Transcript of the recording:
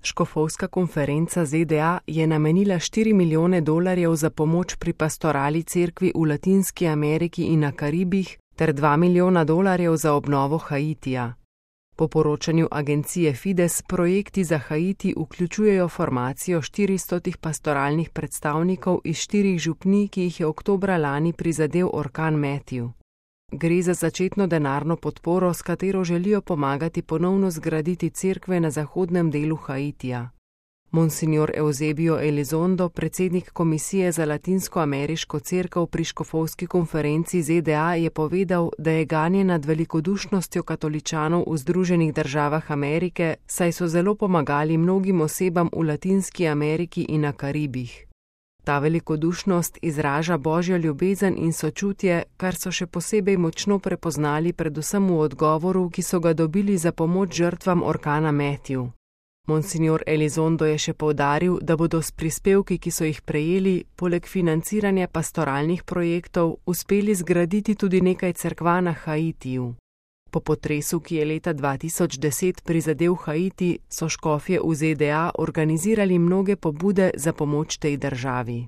Škofovska konferenca ZDA je namenila $4 milijone za pomoč pri pastorali cerkvi v Latinski Ameriki in na Karibih ter $2 milijona za obnovo Haitija. Po poročanju agencije Fides projekti za Haiti vključujejo formacijo 400 pastoralnih predstavnikov iz 4 župnij, ki jih je oktobra lani prizadel orkan Matthew. Gre za začetno denarno podporo, s katero želijo pomagati ponovno zgraditi cerkve na zahodnem delu Haitija. Monsignor Eusebio Elizondo, predsednik Komisije za latinsko-ameriško cerkev pri Škofovski konferenci ZDA, je povedal, da je ganjen nad velikodušnostjo katoličanov v Združenih državah Amerike, saj so zelo pomagali mnogim osebam v Latinski Ameriki in na Karibih. Ta velikodušnost izraža božjo ljubezen in sočutje, kar so še posebej močno prepoznali predvsem v odgovoru, ki so ga dobili za pomoč žrtvam orkana Matthew. Monsignor Elizondo je še poudaril, da bodo s prispevki, ki so jih prejeli, poleg financiranja pastoralnih projektov, uspeli zgraditi tudi nekaj cerkva na Haitiju. Po potresu, ki je leta 2010 prizadel Haiti, so škofje v ZDA organizirali mnoge pobude za pomoč tej državi.